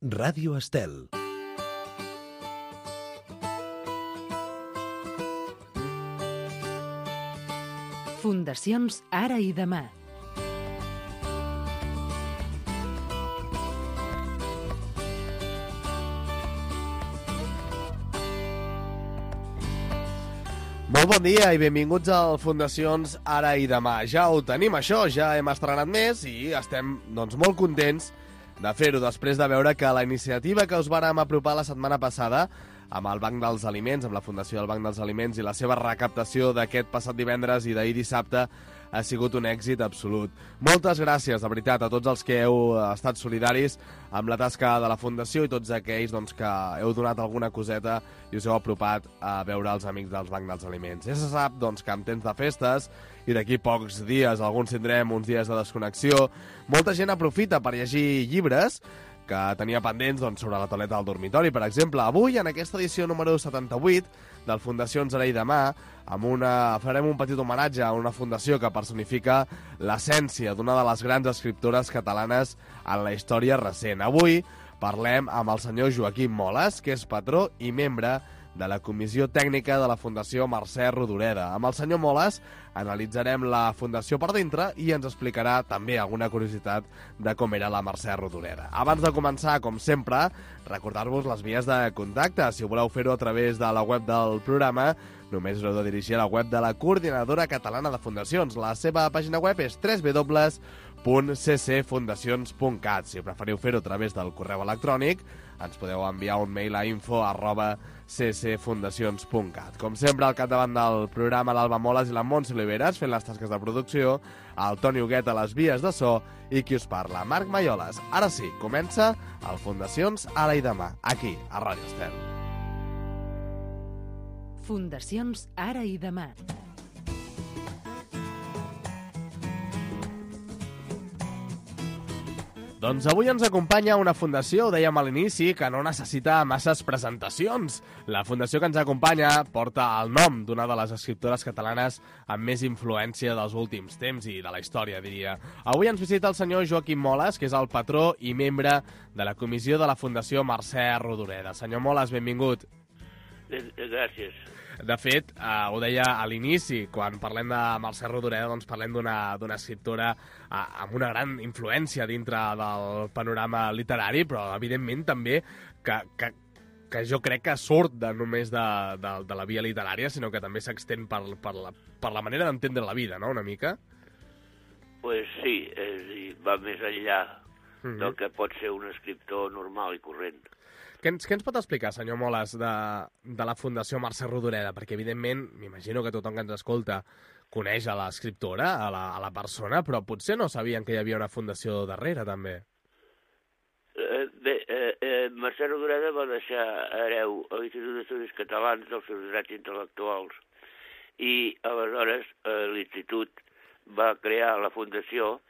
Ràdio Estel. Fundacions Ara i Demà. Molt bon dia i benvinguts al Fundacions Ara i Demà. Ja ho tenim, això, ja hem estrenat més i estem molt contents de fer-ho després de veure que la iniciativa que us vàrem apropar la setmana passada amb el Banc dels Aliments, amb la Fundació del Banc dels Aliments i la seva recaptació d'aquest passat divendres i d'ahir dissabte ha sigut un èxit absolut. Moltes gràcies, de veritat, a tots els que heu estat solidaris amb la tasca de la Fundació i tots aquells que heu donat alguna coseta i us heu apropat a veure els amics del Banc dels Aliments. Ja se sap que en temps de festes i d'aquí pocs dies, alguns tindrem uns dies de desconnexió, molta gent aprofita per llegir llibres que tenia pendents sobre la tauleta del dormitori. Per exemple, avui, en aquesta edició número 78 del Fundacions Ara i Demà, farem un petit homenatge a una fundació que personifica l'essència d'una de les grans escriptores catalanes en la història recent. Avui parlem amb el senyor Joaquim Moles, que és patró i membre de la Comissió Tècnica de la Fundació Mercè Rodoreda. Amb el senyor Moles analitzarem la Fundació per dintre i ens explicarà també alguna curiositat de com era la Mercè Rodoreda. Abans de començar, com sempre, recordar-vos les vies de contacte. Si voleu fer-ho a través de la web del programa, només heu de dirigir a la web de la Coordinadora Catalana de Fundacions. La seva pàgina web és www.ccfundacions.cat. Si preferiu fer-ho a través del correu electrònic, ens podeu enviar un mail a info@ccfundacions.cat. Com sempre, al capdavant del programa, l'Alba Moles i la Montse Oliveres, fent les tasques de producció, el Toni Huguet a les vies de so i qui us parla, Marc Maioles. Ara sí, comença el Fundacions Ara i Demà, aquí, a Ràdio Estel. Fundacions Ara i Demà. Doncs avui ens acompanya una fundació, ho dèiem a l'inici, que no necessita masses presentacions. La fundació que ens acompanya porta el nom d'una de les escriptores catalanes amb més influència dels últims temps i de la història, diria. Avui ens visita el senyor Joaquim Moles, que és el patró i membre de la comissió de la Fundació Mercè Rodoreda. Senyor Moles, benvingut. Gràcies. De fet, ho deia a l'inici, quan parlem de Mercè Rodoreda, parlem d'una escriptora amb una gran influència dintre del panorama literari, però evidentment també que jo crec que surt només de la via literària, sinó que també s'extén per la manera d'entendre la vida, no?, una mica? Pues sí, va més enllà del que pot ser un escriptor normal i corrent. Què ens pot explicar, senyor Moles, de la Fundació Mercè Rodoreda? Perquè, evidentment, m'imagino que tothom que ens escolta coneix a l'escriptora, a la persona, però potser no sabien que hi havia una fundació darrere, també. Mercè Rodoreda va deixar hereu a l'Institut d'Estudis Catalans dels seus drets intel·lectuals i, aleshores, l'Institut va crear la fundació,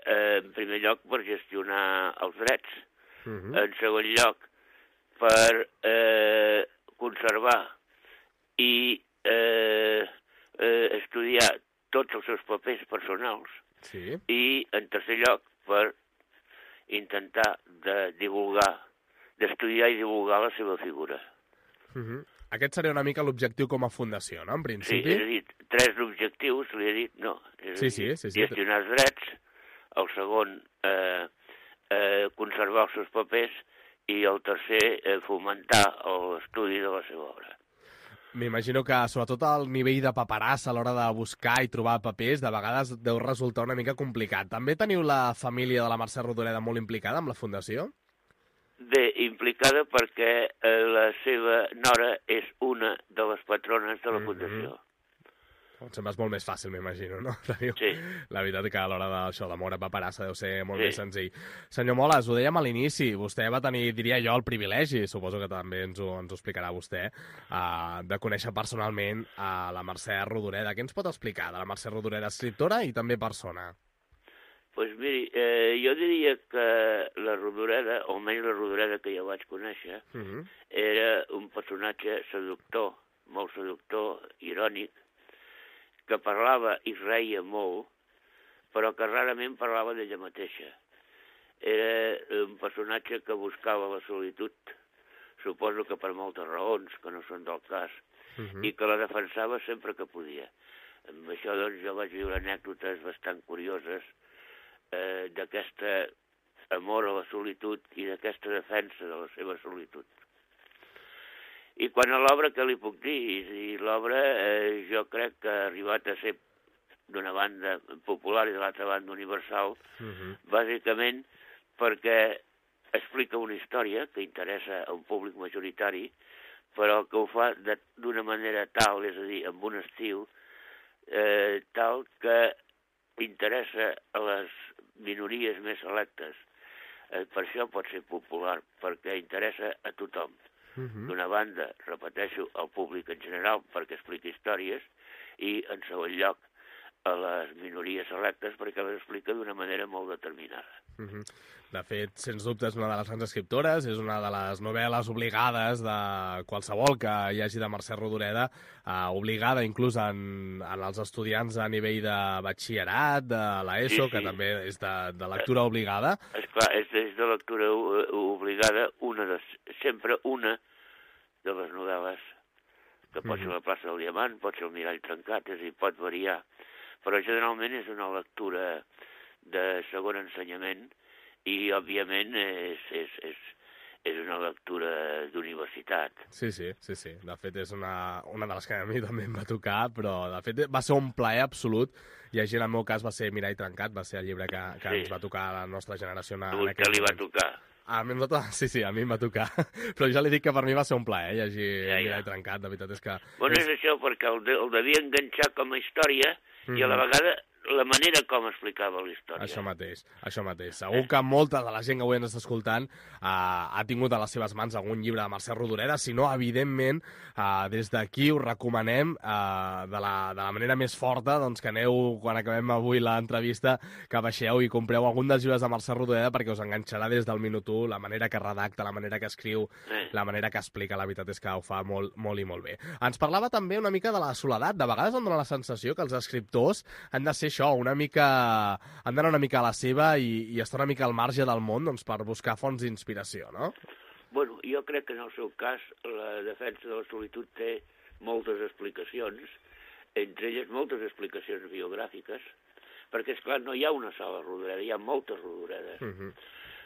en primer lloc, per gestionar els drets. En segon lloc, per conservar i estudiar tots els seus papers personals. Sí. I, en tercer lloc, per intentar d'estudiar i divulgar la seva figura. Aquest seria una mica l'objectiu com a fundació, no?, en principi? Sí, és a dir, 3 objectius, li he dit, no. Sí. Gestionar els drets, el segon, conservar els seus papers, i el tercer, fomentar l'estudi de la seva obra. M'imagino que, sobretot, el nivell de paperassa a l'hora de buscar i trobar papers, de vegades deu resultar una mica complicat. També teniu la família de la Mercè Rodoreda molt implicada amb la fundació? Bé, implicada perquè la seva nora és una de les patrones de la fundació. Sempre és molt més fàcil, m'imagino, no? Sí. La veritat que a l'hora d'això, de moure paperassa deu ser molt més senzill. Senyor Moles, ho dèiem a l'inici, vostè va tenir, diria jo, el privilegi, suposo que també ens ho explicarà vostè, de conèixer personalment a la Mercè Rodoreda. Què ens pot explicar de la Mercè Rodoreda, escriptora i també persona? Doncs miri, jo diria que la Rodoreda, o almenys la Rodoreda que jo vaig conèixer, era un personatge seductor, molt seductor, irònic, que parlava i reia molt, però que rarament parlava d'ella mateixa. era un personatge que buscava la solitud, suposo que per moltes raons, que no són del cas, i que la defensava sempre que podia. Amb això, doncs, jo vaig viure anècdotes bastant curioses d'aquest amor a la solitud i d'aquesta defensa de la seva solitud. I quan a l'obra, què li puc dir? I l'obra jo crec que ha arribat a ser d'una banda popular i de l'altra banda universal, bàsicament perquè explica una història que interessa a un públic majoritari, però que ho fa d'una manera tal, és a dir, amb un estil tal que interessa a les minories més selectes. Per això pot ser popular, perquè interessa a tothom. D'una banda, repeteixo, al públic en general, perquè explica històries, i en segon lloc, a les minories selectes, perquè les explica d'una manera molt determinada. De fet, sens dubte, és una de les grans escriptores, és una de les novel·les obligades de qualsevol que hi hagi de Mercè Rodoreda, obligada inclús en els estudiants a nivell de batxillerat, de l'ESO, que també és de lectura obligada. Esclar, és de lectura obligada, sempre una de les novel·les, que pot ser La plaça del Diamant, pot ser El mirall trencat, és a dir, pot variar, però generalment és una lectura de segon ensenyament i, òbviament, és una lectura d'universitat. Sí. De fet, és una de les que a mi també em va tocar, però, de fet, va ser un plaer absolut. Llegir, en el meu cas, va ser Mirall trencat, va ser el llibre que ens va tocar a la nostra generació. A vostè li va tocar? A mi a mi em va tocar. Però ja li dic que per mi va ser un plaer llegir Mirall trencat, de veritat és que... Bueno, és això, perquè el devia enganxar com a història i a la vegada la manera com explicava la història. Això mateix. Segur que molta de la gent que avui ens està escoltant ha tingut a les seves mans algun llibre de Mercè Rodoreda. Si no, evidentment, des d'aquí us recomanem de la manera més forta doncs, que aneu, quan acabem avui l'entrevista, que baixeu i compreu algun dels llibres de Mercè Rodoreda perquè us enganxarà des del minut 1, la manera que redacta, la manera que escriu, la manera que explica. La veritat és que ho fa molt, molt i molt bé. Ens parlava també una mica de la soledat. De vegades em dóna la sensació que els escriptors han de ser això, han d'anar una mica a la seva i estar una mica al marge del món doncs, per buscar fonts d'inspiració, no? Bueno, jo crec que en el seu cas la defensa de la solitud té moltes explicacions, entre elles moltes explicacions biogràfiques, perquè, esclar, no hi ha una sola Rodoreda, hi ha moltes Rodoredes.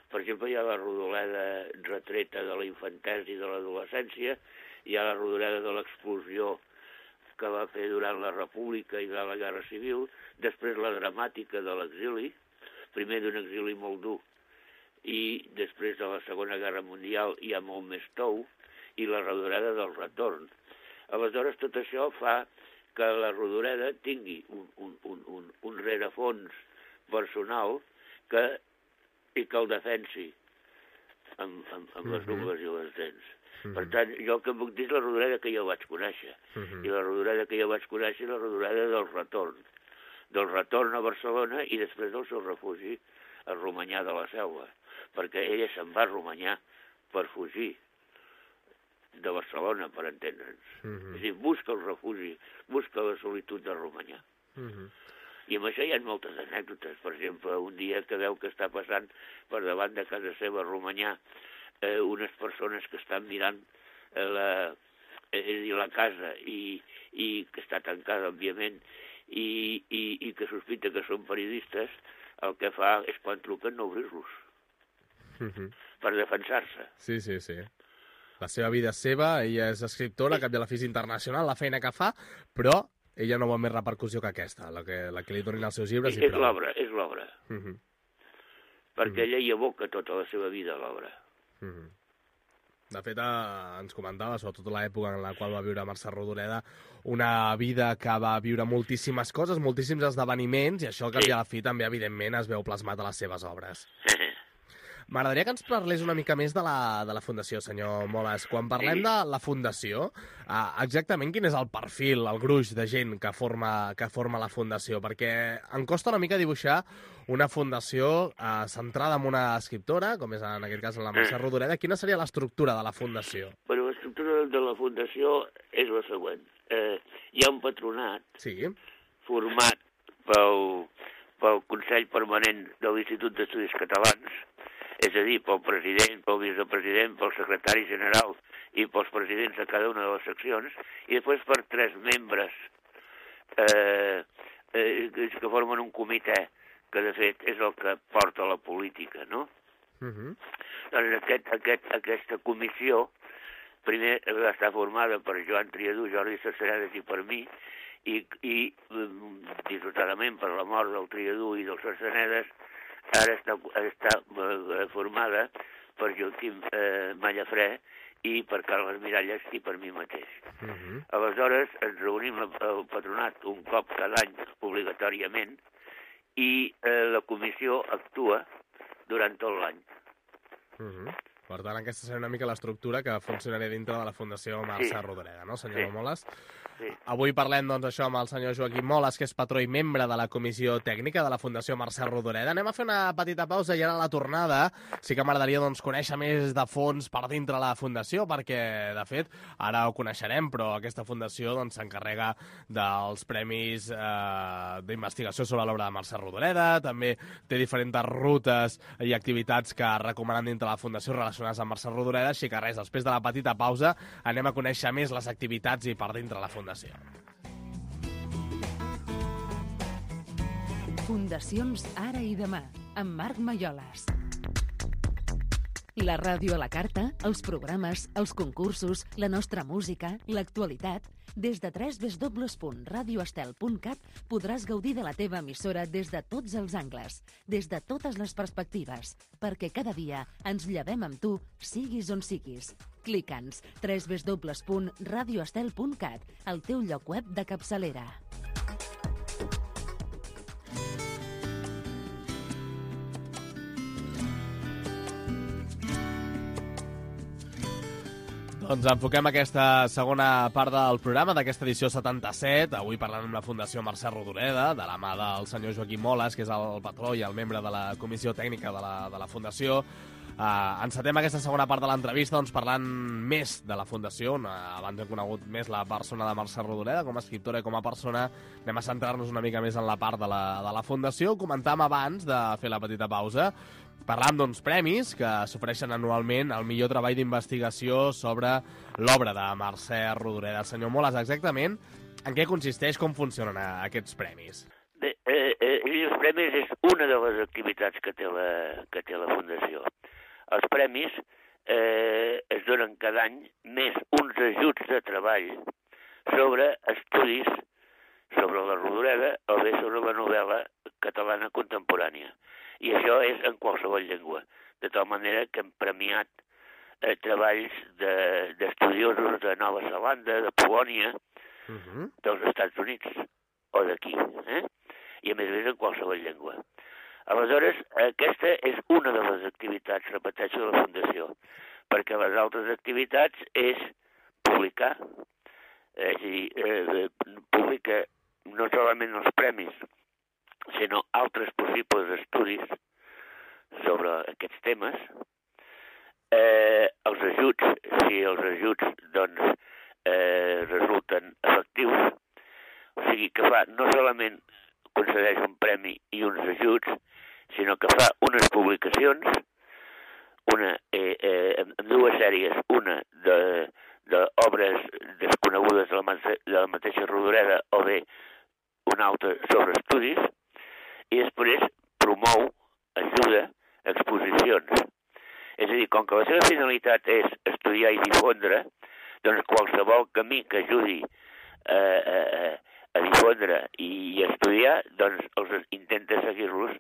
Per exemple, hi ha la Rodoreda retreta de la infantesa i de l'adolescència, hi ha la Rodoreda de l'explosió que va fer durant la República i de la Guerra Civil, després la dramàtica de l'exili, primer d'un exili molt dur, i després de la Segona Guerra Mundial hi ha molt més tou, i la Rodoreda del retorn. Aleshores, tot això fa que la Rodoreda tingui un rerefons personal i que el defensi amb les ungles i les dents. Per tant, jo el que puc dir és la Rodoreda que jo vaig conèixer. I la Rodoreda que jo vaig conèixer és la Rodoreda del retorn a Barcelona i després del seu refugi a Romanyà de la Selva, perquè ella se'n va a Romanyà per fugir de Barcelona, per entendre'ns. És a dir, busca el refugi, busca la solitud de Romanyà. I amb això hi ha moltes anècdotes. Per exemple, un dia que veu que està passant per davant de casa seva a Romanyà unes persones que estan mirant la casa i que està tancada, òbviament, i que sospita que són periodistes, el que fa és quan truquen no obrir-los per defensar-se. Sí. La seva vida és seva, ella és escriptora, cap de la física internacional, la feina que fa, però ella no vol més repercussió que aquesta, la que li donin els seus llibres. És l'obra. Perquè ella hi aboca tota la seva vida a l'obra. De fet, ens comentava, sobretot l'època en la qual va viure Mercè Rodoreda, una vida que va viure moltíssimes coses, moltíssims esdeveniments, i això al cap i a la fi també, evidentment, es veu plasmat a les seves obres. M'agradaria que ens parlés una mica més de la Fundació, senyor Moles. Quan parlem de la Fundació, exactament quin és el perfil, el gruix de gent que forma la Fundació? Perquè em costa una mica dibuixar una fundació centrada en una escriptora, com és en aquest cas la Mercè Rodoreda. Quina seria l'estructura de la Fundació? Bueno, l'estructura de la Fundació és la següent. Hi ha un patronat format pel Consell Permanent de l'Institut d'Estudis Catalans, és a dir, pel president, pel vicepresident, pel secretari general i pels presidents de cada una de les seccions, i després per 3 membres que formen un comitè, que de fet és el que porta la política, no? Doncs aquesta comissió primer va estar formada per Joan Triadú, Jordi Sarceredes i per mi, i dissortadament per la mort del Triadú i del Sarceredes, ara està formada per Joaquim Mallafrè i per Carles Miralles i per mi mateix. Aleshores ens reunim al patronat un cop cada any obligatòriament i la comissió actua durant tot l'any. Per tant, aquesta serà una mica l'estructura que funcionarà dintre de la Fundació Mercè Rodoreda, no, senyor Moles? Sí. Avui parlem, doncs, això amb el senyor Joaquim Moles, que és patró i membre de la Comissió Tècnica de la Fundació Mercè Rodoreda. Anem a fer una petita pausa i ara a la tornada sí que m'agradaria, doncs, conèixer més de fons per dintre la Fundació, perquè, de fet, ara ho coneixerem, però aquesta Fundació doncs s'encarrega dels premis d'investigació sobre l'obra de Mercè Rodoreda, també té diferents rutes i activitats que recomanen dintre la Fundació relacionades amb Mercè Rodoreda, així que res, després de la petita pausa anem a conèixer més les activitats i per dintre la Fundació. Fundacions Ara i Demà, amb Marc Malloles. La ràdio a la carta, els programes, els concursos, la nostra música, l'actualitat. Des de www.radioestel.cat podràs gaudir de la teva emissora des de tots els angles, des de totes les perspectives, perquè cada dia ens llevem amb tu, siguis on siguis. Clica'ns www.radioestel.cat, el teu lloc web de capçalera. Doncs enfoquem aquesta segona part del programa, d'aquesta edició 77, avui parlant amb la Fundació Mercè Rodoreda, de la mà del senyor Joaquim Moles, que és el patró i el membre de la Comissió Tècnica de la Fundació. Encetem aquesta segona part de l'entrevista doncs, parlant més de la Fundació. Abans hem conegut més la persona de Mercè Rodoreda com a escriptora i com a persona. Anem a centrar-nos una mica més en la part de la Fundació. Comentàvem abans de fer la petita pausa. Parlam d'uns premis que s'ofereixen anualment al millor treball d'investigació sobre l'obra de Mercè Rodoreda. Senyor Moles, exactament en què consisteix, com funcionen aquests premis? Bé, els premis és una de les activitats que té la Fundació. Els premis es donen cada any més uns ajuts de treball sobre estudis sobre la Rodoreda o bé sobre la novel·la catalana contemporània. I això és en qualsevol llengua, de tal manera que hem premiat treballs d'estudiosos de Nova Zelanda, de Polònia, dels Estats Units o d'aquí, i a més en qualsevol llengua. Aleshores, aquesta és una de les activitats, repeteixo, de la Fundació, perquè les altres activitats és publicar, és a dir, publica no solament els premis, sinó altres possibles estudis sobre aquests temes, els ajuts, si els ajuts doncs, resulten efectius, o sigui que fa no solament concedeix un premi i uns ajuts, sinó que fa unes publicacions, una en dues sèries, una d'obres desconegudes de la mateixa Rodoreda o bé una altra sobre estudis, i després promou, ajuda, exposicions. És a dir, com que la seva finalitat és estudiar i difondre, doncs qualsevol camí que ajudi a difondre i a estudiar, doncs els intenta seguir-los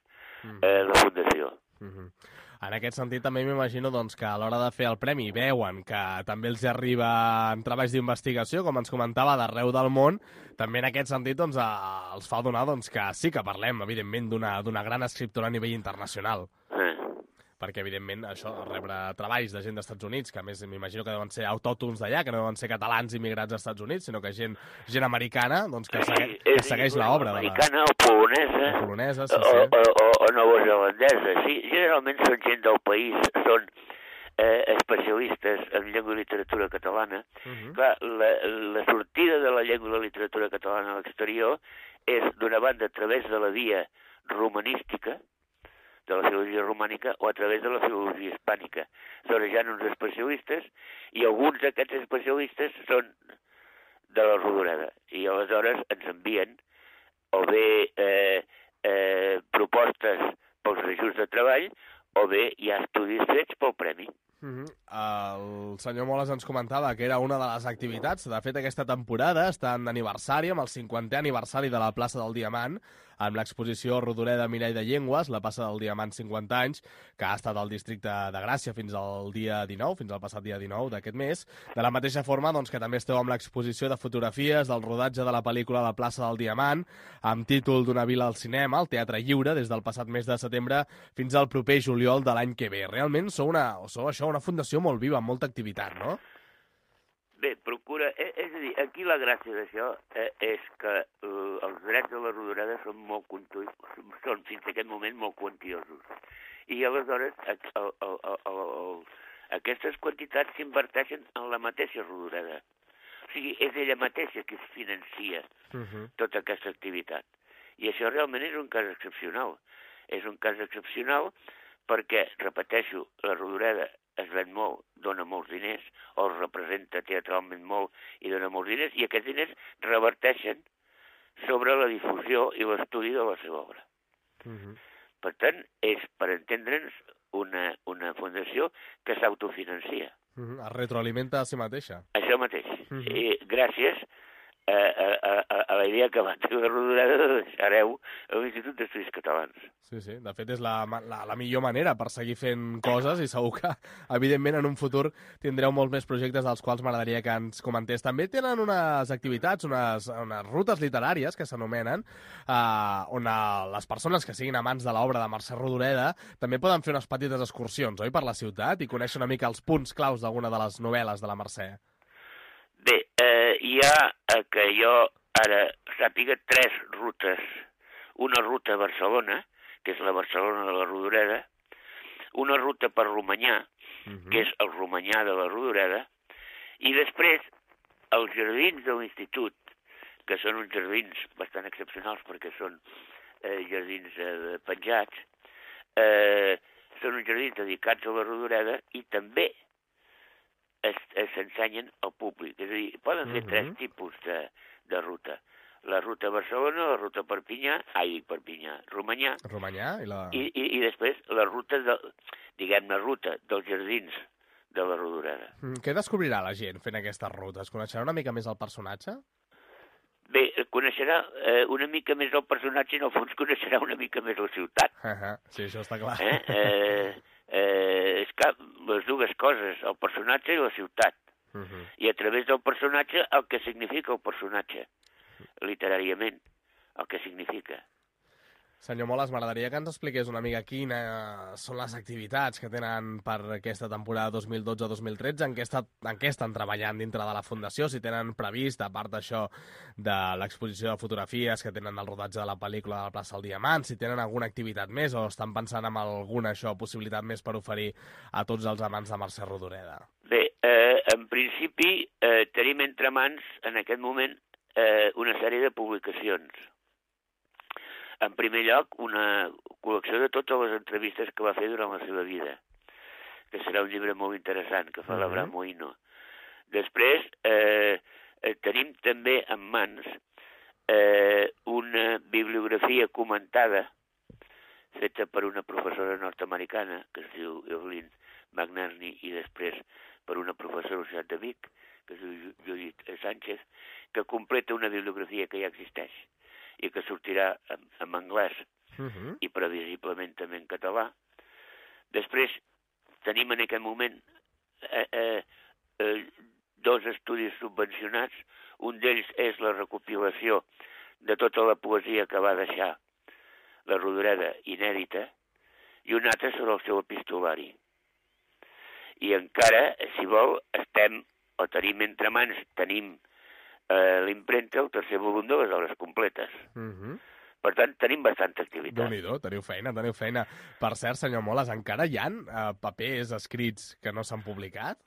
la Fundació. En aquest sentit, també m'imagino doncs, que a l'hora de fer el premi veuen que també els arriben treballs d'investigació, com ens comentava, d'arreu del món. També en aquest sentit doncs, els fa donar doncs, que sí que parlem, evidentment, d'una gran escriptora a nivell internacional. Perquè, evidentment, això, rebre treballs de gent dels Estats Units, que a més m'imagino que deuen ser autòctons d'allà, que no deuen ser catalans immigrats als Estats Units, sinó que gent americana, doncs, que segueix l'obra. Americana o polonesa, o neozelandesa, sí. Generalment són gent del país, són especialistes en llengua i literatura catalana. Clar, la sortida de la llengua i la literatura catalana a l'exterior és, d'una banda, a través de la via romanística, de la filologia romànica, o a través de la filologia hispànica. Aleshores hi ha uns especialistes, i alguns d'aquests especialistes són de la Rodoreda, i aleshores ens envien o bé propostes pels ajuts de treball, o bé hi ha estudis fets pel premi. El senyor Moles ens comentava que era una de les activitats. De fet, aquesta temporada està en aniversari, amb el 50è aniversari de la plaça del Diamant, amb l'exposició Rodoreda Mirall de Llengües, la plaça del Diamant 50 anys, que ha estat al districte de Gràcia fins al dia 19, fins al passat dia 19 d'aquest mes. De la mateixa forma doncs, que també esteu amb l'exposició de fotografies del rodatge de la pel·lícula La plaça del Diamant, amb títol d'una vila al cinema, al Teatre Lliure, des del passat mes de setembre fins al proper juliol de l'any que ve. Realment sou una fundació molt viva, amb molta activitat, no? Bé, procura... És a dir, aquí la gràcia d'això és que els drets de la Rodoreda són fins a aquest moment molt quantiosos. I aleshores aquestes quantitats s'inverteixen en la mateixa Rodoreda. O sigui, és ella mateixa que es financia tota aquesta activitat. I això realment és un cas excepcional. És un cas excepcional perquè, repeteixo, la Rodoreda es ven molt, dona molts diners, o es representa teatralment molt i dona molts diners, i aquests diners reverteixen sobre la difusió i l'estudi de la seva obra. Per tant, és, per entendre'ns, una fundació que s'autofinancia. Es retroalimenta a si mateixa. Això mateix. I gràcies a la idea que va tenir la Rodoreda de deixar hereu a l'Institut d'Estudis Catalans. Sí, sí. De fet, és la millor manera per seguir fent coses i segur que, evidentment, en un futur tindreu molts més projectes dels quals m'agradaria que ens comentés. També tenen unes activitats, unes rutes literàries que s'anomenen, on les persones que siguin amants de l'obra de Mercè Rodoreda també poden fer unes petites excursions, oi?, per la ciutat i conèixer una mica els punts claus d'alguna de les novel·les de la Mercè. Bé, hi ha, que jo ara sàpiga, 3 rutes. Una ruta a Barcelona, que és la Barcelona de la Rodoreda, una ruta per Romanyà, que és el Romanyà de la Rodoreda, i després els jardins de l'Institut, que són uns jardins bastant excepcionals perquè són jardins penjats, són uns jardins dedicats a la Rodoreda i també s'ensenyen al públic. És a dir, poden fer 3 tipus de ruta. La ruta a Barcelona, la ruta a Romanyà, i després la ruta, diguem-ne, ruta dels jardins de la Rodoreda. Què descobrirà la gent fent aquestes rutes? Coneixerà una mica més el personatge? Bé, coneixerà una mica més el personatge i en el fons coneixerà una mica més la ciutat. Sí, això està clar. És que les dues coses, el personatge i la ciutat. I a través del personatge el que significa el personatge, literàriament, el que significa. Senyor Moles, m'agradaria que ens expliqués una mica quines són les activitats que tenen per aquesta temporada 2012-2013, en què estan treballant dintre de la Fundació, si tenen previst, a part d'això de l'exposició de fotografies que tenen el rodatge de la pel·lícula de la plaça del Diamant, si tenen alguna activitat més o estan pensant en alguna possibilitat més per oferir a tots els amants de Mercè Rodoreda. Bé, en principi tenim entre mans en aquest moment una sèrie de publicacions. En primer lloc, una col·lecció de totes les entrevistes que va fer durant la seva vida, que serà un llibre molt interessant, que fa l'Abraham Moïno. Després, tenim també en mans una bibliografia comentada feta per una professora nord-americana, que es diu Evelyn McNerney, i després per una professora de la Universitat de Vic, que es diu Judith Sánchez, que completa una bibliografia que ja existeix i que sortirà en anglès i previsiblement també en català. Després tenim en aquest moment 2 estudis subvencionats. Un d'ells és la recopilació de tota la poesia que va deixar la Rodoreda inèdita i un altre sobre el seu epistolari. I encara, si vol, tenim entre mans, tenim l'impremta, el 3è volum de les obres completes. Per tant, tenim bastanta activitat. Déu-n'hi-do, teniu feina. Per cert, senyor Moles, encara hi ha papers escrits que no s'han publicat?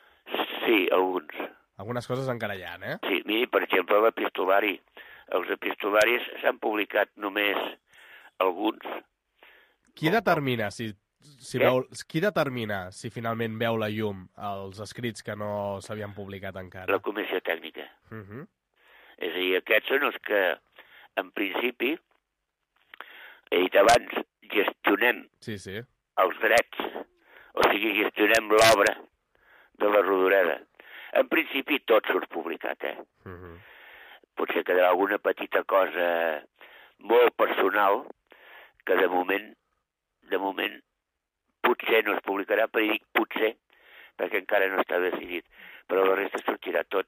Sí, alguns. Algunes coses encara hi ha, eh? Sí, miri, per exemple, l'epistolari. Els epistolaris s'han publicat només alguns, Qui determina qui determina si finalment veu la llum els escrits que no s'havien publicat encara? La comissió tècnica. És a dir, aquests són els que, en principi, he dit abans, gestionem els drets, o sigui, gestionem l'obra de la Rodoreda. En principi tot surt publicat, Potser quedarà alguna petita cosa molt personal que de moment potser no es publicarà, però dic potser, perquè encara no està decidit. Però la resta sortirà tot.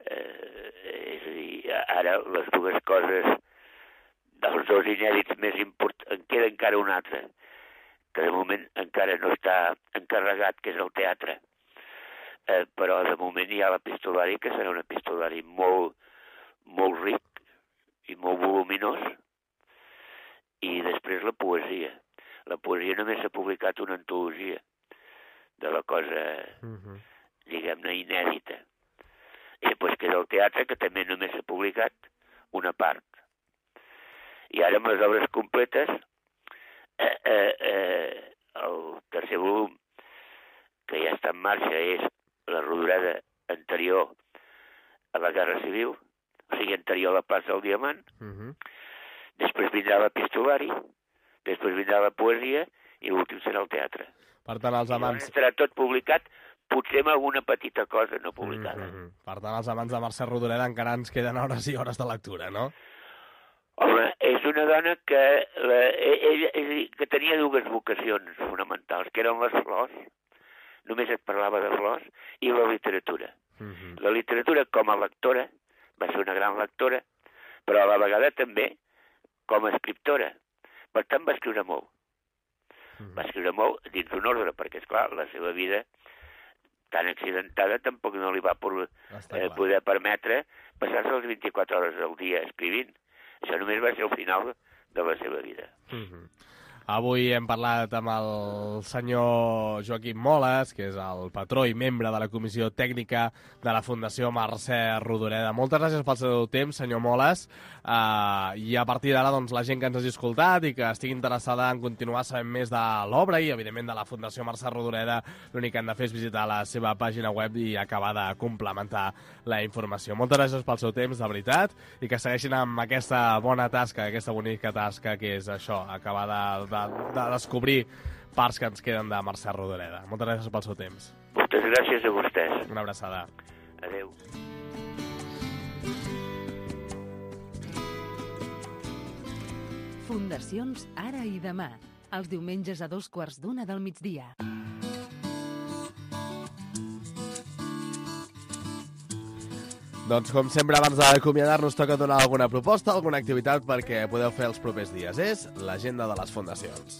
És a dir, ara les dues coses, dels dos inèdits més importants, en queda encara un altre, que de moment encara no està encarregat, que és el teatre. Però de moment hi ha l'epistolari, que serà un epistolari molt ric i molt voluminós, i després la poesia. La poesia només s'ha publicat una antologia de la cosa, diguem-ne, inèdita. I després queda el teatre, que també només s'ha publicat una part. I ara amb les obres completes, el tercer volum, que ja està en marxa, és la Rodoreda anterior a la Guerra Civil, o sigui, anterior a la plaça del Diamant. Després vindrà l'epistolari, després vindrà la poesia, i l'últim serà el teatre. Per tant, els amants... Estarà tot publicat, potser amb alguna petita cosa no publicada. Per tant, els amants de Mercè Rodoreda encara ens queden hores i hores de lectura, no? Home, és una dona que tenia dues vocacions fonamentals, que eren les flors, només es parlava de flors, i la literatura. La literatura com a lectora, va ser una gran lectora, però a la vegada també com a escriptora. Per tant, va escriure molt. Va escriure molt dins un ordre, perquè, esclar, la seva vida tan accidentada tampoc no li va poder permetre passar-se les 24 hores al dia escrivint. Això només va ser el final de la seva vida. Avui hem parlat amb el senyor Joaquim Moles, que és el patró i membre de la Comissió Tècnica de la Fundació Mercè Rodoreda. Moltes gràcies pel seu temps, senyor Moles. I a partir d'ara, doncs, la gent que ens hagi escoltat i que estigui interessada en continuar sabent més de l'obra i, evidentment, de la Fundació Mercè Rodoreda, l'únic que han de fer és visitar la seva pàgina web i acabar de complementar la informació. Moltes gràcies pel seu temps, de veritat, i que segueixin amb aquesta bona tasca, aquesta bonica tasca, que és això, acabar de descobrir parts que ens queden de Mercè Rodoreda. Moltes gràcies pel seu temps. Moltes gràcies a vostès. Una abraçada. Adéu. Fundacions Ara i Demà, els diumenges a 2:15 del migdia. Doncs, com sempre, abans d'acomiadar-nos, toca donar alguna proposta, alguna activitat perquè podeu fer els propers dies. És l'agenda de les fundacions.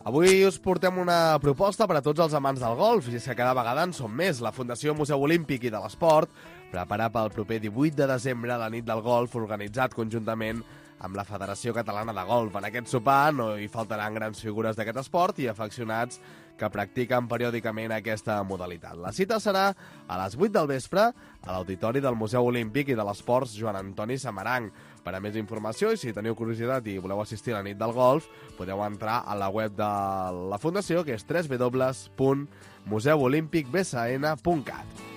Avui us portem una proposta per a tots els amants del golf, i és que cada vegada en som més. La Fundació Museu Olímpic i de l'Esport prepara pel proper 18 de desembre la nit del golf, organitzat conjuntament amb la Federació Catalana de Golf. En aquest sopar no hi faltaran grans figures d'aquest esport i afeccionats que practiquen periòdicament aquesta modalitat. La cita serà a les 8 del vespre a l'Auditori del Museu Olímpic i de l'Esports Joan Antoni Samaranc. Per a més informació, i si teniu curiositat i voleu assistir a la nit del golf, podeu entrar a la web de la Fundació, que és www.museuolimpicbsn.cat.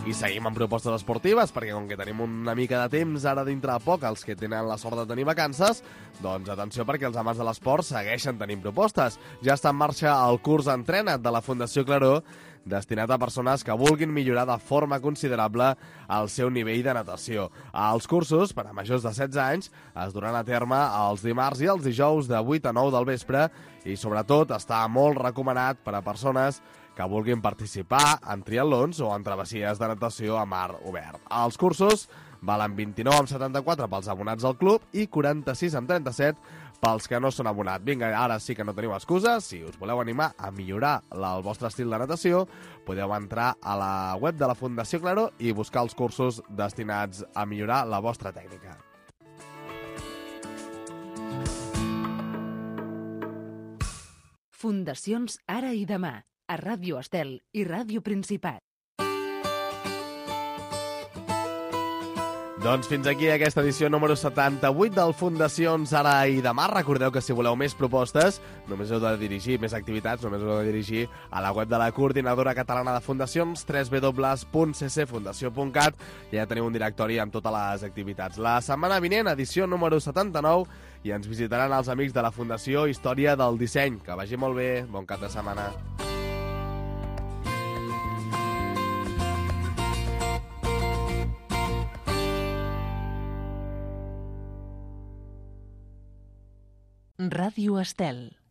I seguim amb propostes esportives, perquè com que tenim una mica de temps ara dintre de poc, els que tenen la sort de tenir vacances, doncs atenció, perquè els amants de l'esport segueixen tenint propostes. Ja està en marxa el curs Entrena't de la Fundació Claró, destinat a persones que vulguin millorar de forma considerable el seu nivell de natació. Els cursos, per a majors de 16 anys, es duran a terme els dimarts i els dijous de 8 a 9 del vespre i, sobretot, està molt recomanat per a persones que vulguin participar en triatlons o en travessies de natació a mar obert. Els cursos valen 29,74 pels abonats al club i 46,37 pels que no són abonats. Vinga, ara sí que no teniu excuses. Si us voleu animar a millorar el vostre estil de natació, podeu entrar a la web de la Fundació Claró i buscar els cursos destinats a millorar la vostra tècnica. Fundacions Ara i Demà, a Ràdio Estel i Ràdio Principat. Doncs fins aquí aquesta edició número 78 del Fundacions Ara i Demà. Recordeu que si voleu més propostes, només heu de dirigir, més activitats, només heu de dirigir a la web de la Coordinadora Catalana de Fundacions, www.ccfundació.cat, i ja teniu un directori amb totes les activitats. La setmana vinent, edició número 79, i ens visitaran els amics de la Fundació Història del Disseny. Que vagi molt bé, bon cap de setmana. Ràdio Estel.